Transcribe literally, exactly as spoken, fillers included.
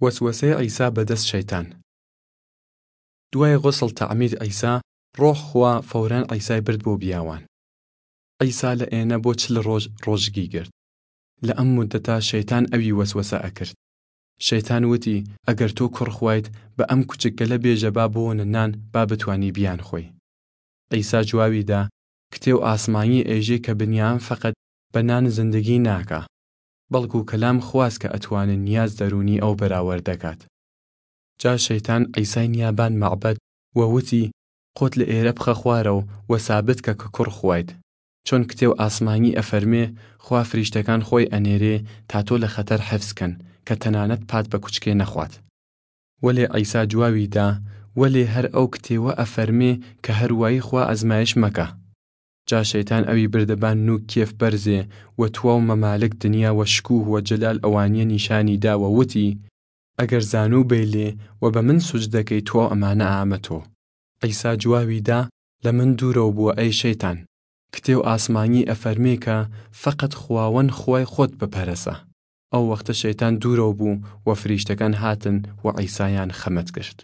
وەسوەسەی عیسا بەدەس شەیتان. دوای غسڵ تعمید عیسا، ڕۆح خوا فەوران عیسای برد بۆ بیاوان. عیسا لە ئێنە بۆ چل ڕۆژ ڕۆژگی گرد. لە ئەم مودەتا شەیتان ئەوی وەسوەسە ئەکرد. شەیتان وتی، ئەگەر تۆ کوڕ خوایت، بە ئەم کوچکگەلە بێژە با بۆنە نان، با بتوانی بیان خوەی. عیسا جواوی دا، کتێو ئاسمانی ئێژێ کە بنیام فەقەت بە نان زندگی ناکا، بەڵکو کەلام خواس کە ئەتوانن نیاز دەرونی ئەو بەراوەر دەکات. جا شەیتان عیسای نیابان مەعبەد و وتی، قۆت لە ئێرە بخە خوارەو و سابت کە کە کوڕ خوایت. چۆن کتێو ئاسمانی ئەفەرمێ، خوا فریشتەکان خوەی ئەنێرێ تا تۆ لە خەتەر حفز کەن، کە تەنانەت پات بە کوچکێ نەخوات. وەلێ عیسا جواوی دا، وەلێ هەر ئەو کتێوە ئەفەرمێ کە هەر وایی خوا ئەزمایش مەکە. جا شەیتان ئەوی بردە بان نووک کێف بەرزێ و تواو مەمالک دنیا و شکوه و جەلال ئەوانیە نیشانی دا و وتی، ئەگەر زانوو بەیلێ و بە من سوجدە کەی تواو ئەمانە ئامە تۆ. عیسا جواوی دا، لە من دورەو بوە ئەی شەیتان. کتێو ئاسمانی ئەفەرمێ کە فەقەت خواوەن خوای خوەت بپەرەسە. ئەو وەختە شەیتان دورەو بوو و فریشتەکان هاتن و عیسایان خەمەت گرت.